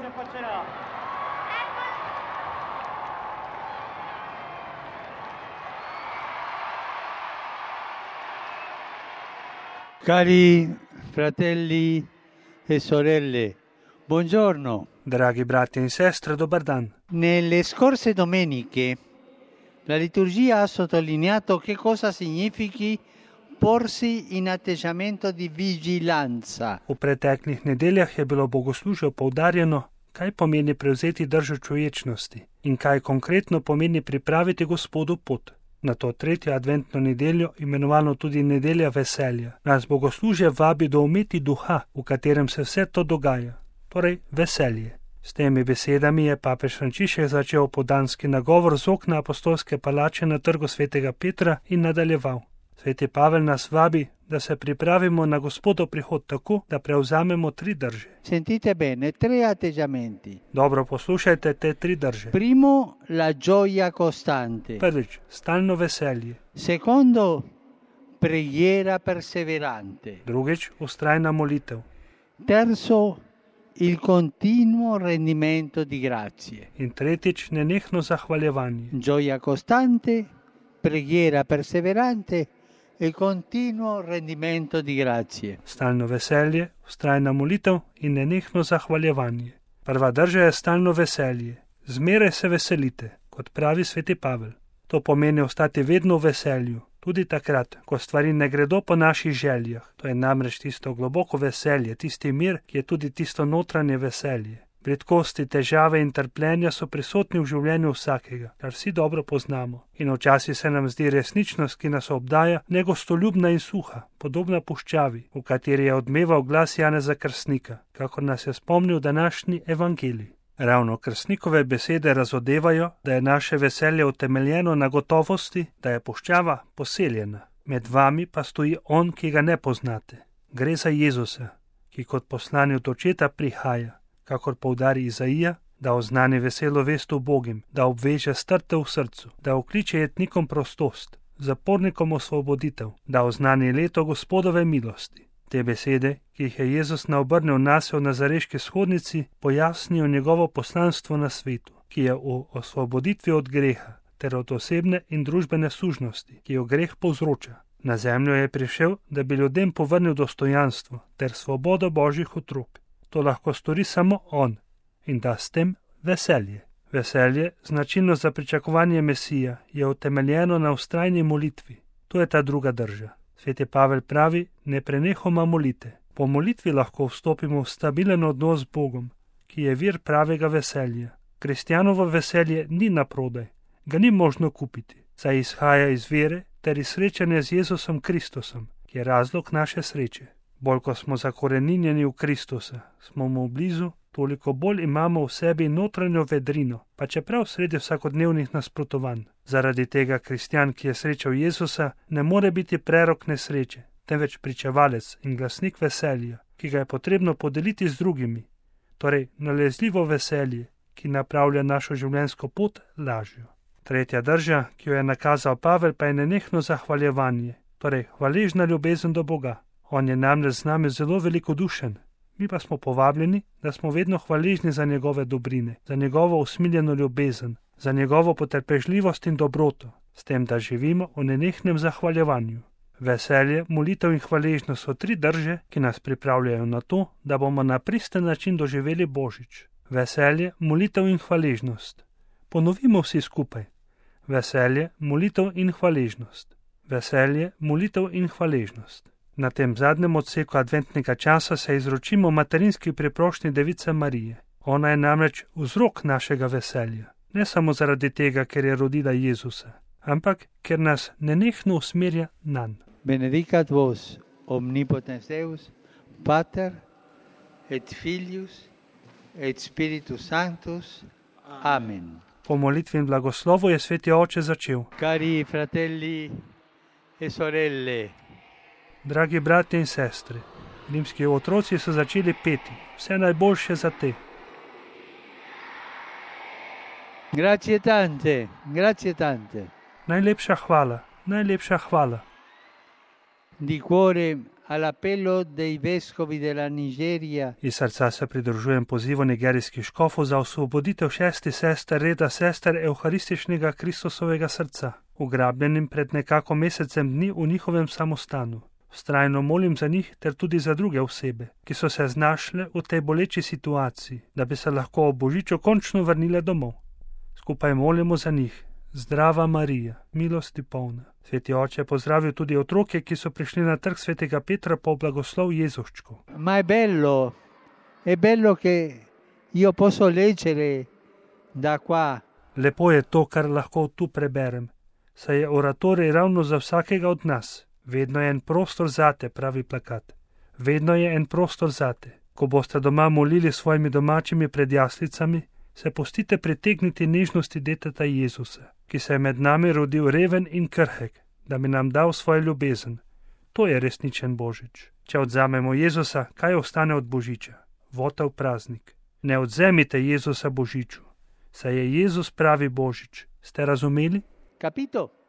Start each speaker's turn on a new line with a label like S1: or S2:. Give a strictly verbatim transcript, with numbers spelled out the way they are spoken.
S1: se faccerà.
S2: Cari fratelli e sorelle, buongiorno.
S3: Dragi brati in sestre, dobar dan.
S2: Nelle scorse domeniche la liturgia ha sottolineato che cosa significhi porsi in atteggiamento di vigilanza.
S3: V preteklih nedeljah je bilo bogoslužje poudarjeno, kaj pomeni prevzeti držo človečnosti in kaj konkretno pomeni pripraviti Gospodu pot. Na to tretjo adventno nedeljo, imenovano tudi nedelja veselja, nas bogoslužje vabi do umeti duha, v katerem se vse to dogaja, torej veselje. S temi besedami je papež Frančišek začel podanski nagovor z okna apostolske palače na trgu svetega Petra in nadaljeval. Sveti Pavel nas vabi, da se pripravimo na Gospodov prihod tako, da prevzamemo tri drže.
S2: Sentite bene, tre atteggiamenti.
S3: Dobro poslušajte te tri drže.
S2: Primo, la gioia costante.
S3: Prvič, stalno veselje.
S2: Secondo, preghiera perseverante.
S3: Drugič, ustrajna molitev.
S2: Terzo, il continuo rendimento di grazie.
S3: In tretjič, nenehno zahvaljevanje.
S2: Gioia costante, preghiera perseverante e continuo rendimento di grazie.
S3: Stalno veselje, ustrajna molitev in nenehno zahvaljevanje. Prva drža je stalno veselje. Zmeraj se veselite, kot pravi sveti Pavel. To pomeni ostati vedno v veselju, tudi takrat, ko stvari ne gredo po naših željah. To je namreč tisto globoko veselje, tisti mir, ki je tudi tisto notranje veselje. Redkosti, težave in trpljenja so prisotni v življenju vsakega, kar vsi dobro poznamo. In včasih se nam zdi resničnost, ki nas obdaja, negostoljubna in suha, podobna puščavi, v kateri je odmeval glas Janeza Krstnika, kakor nas je spomnil današnji evangelij. Ravno Krstnikove besede razodevajo, da je naše veselje utemeljeno na gotovosti, da je puščava poseljena. Med vami pa stoji on, ki ga ne poznate. Gre za Jezusa, ki kot poslani od očeta prihaja, kakor poudari Izaija, da oznani veselo vest ubogim, da obveže strte v srcu, da okliče jetnikom prostost, zapornikom osvoboditev, da oznani leto Gospodove milosti. Te besede, ki jih je Jezus naobrnil nase v nazareški shodnici, pojasnijo njegovo poslanstvo na svetu, ki je v osvoboditvi od greha ter od osebne in družbene sužnosti, ki jo greh povzroča. Na zemljo je prišel, da bi ljudem povrnil dostojanstvo ter svobodo Božjih otrok. To lahko stori samo on in da s tem veselje. Veselje, značilno za pričakovanje Mesija, je utemeljeno na vztrajni molitvi. To je ta druga drža. Sveti Pavel pravi, ne prenehoma molite. Po molitvi lahko vstopimo v stabilen odnos z Bogom, ki je vir pravega veselja. Kristjanovo veselje ni naprodaj, ga ni možno kupiti, saj izhaja iz vere ter iz srečanja z Jezusom Kristusom, ki je razlog naše sreče. Bolj ko smo zakoreninjeni v Kristusa, smo mu blizu, toliko bolj imamo v sebi notranjo vedrino, pa čeprav sredi vsakodnevnih nasprotovanj. Zaradi tega kristjan, ki je srečal Jezusa, ne more biti prerok nesreče, temveč pričevalec in glasnik veselja, ki ga je potrebno podeliti z drugimi, torej nalezljivo veselje, ki napravlja našo življenjsko pot lažjo. Tretja drža, ki jo je nakazal Pavel, pa je nenehno zahvaljevanje, torej hvaležna ljubezen do Boga. On je namreč z nami zelo velikodušen, mi pa smo povabljeni, da smo vedno hvaležni za njegove dobrine, za njegovo usmiljeno ljubezen, za njegovo potrpežljivost in dobroto, s tem, da živimo v nenehnem zahvaljevanju. Veselje, molitev in hvaležnost so tri drže, ki nas pripravljajo na to, da bomo na pristen način doživeli Božič. Veselje, molitev in hvaležnost. Ponovimo vsi skupaj. Veselje, molitev in hvaležnost. Veselje, molitev in hvaležnost. Na tem zadnjem odseku adventnega časa se izročimo materinski preprošnji Device Marije. Ona je namreč vzrok našega veselja, ne samo zaradi tega, ker je rodila Jezusa, ampak ker nas nenehno usmerja nanj.
S2: Benedicat vos, omnipotens Deus, Pater et Filius et Spiritus Sanctus. Amen.
S3: Po molitvi in blagoslovu je sveti oče začel.
S2: Cari fratelli e sorelle,
S3: Dragi brati in sestre, rimski otroci so začeli peti, vse najboljše za te.
S2: grazie tante, grazie tante.
S3: Najlepša hvala, najlepša hvala.
S2: Di cuore all'appello dei vescovi della Nigeria
S3: Iz srca se pridružujem pozivu nigerijskih škofov za osvoboditev šestih sester reda sester Evharističnega Kristusovega srca, ugrabljenim pred nekako mesecem dni v njihovem samostanu. Vztrajno molim za njih ter tudi za druge osebe, ki so se znašle v tej boleči situaciji, da bi se lahko ob božiču končno vrnile domov. Skupaj molimo za njih. Zdrava Marija, milosti polna. Sveti oče je pozdravil tudi otroke, ki so prišli na trg svetega Petra po blagoslov Jezuščku.
S2: Ma è bello, è bello che io posso leggere da qua.
S3: Lepo je to, kar lahko tu preberem, saj je oratorij ravno za vsakega od nas. Vedno je en prostor zate, pravi plakat. Vedno je en prostor zate. Ko boste doma molili s svojimi domačimi pred jaslicami, se pustite pritegniti nežnosti deteta Jezusa, ki se je med nami rodil reven in krhek, da bi nam dal svojo ljubezen. To je resničen božič. Če odzamemo Jezusa, kaj ostane od božiča? Votel praznik. Ne odzemite Jezusa božiču, saj je Jezus pravi božič. Ste razumeli?
S2: Capito?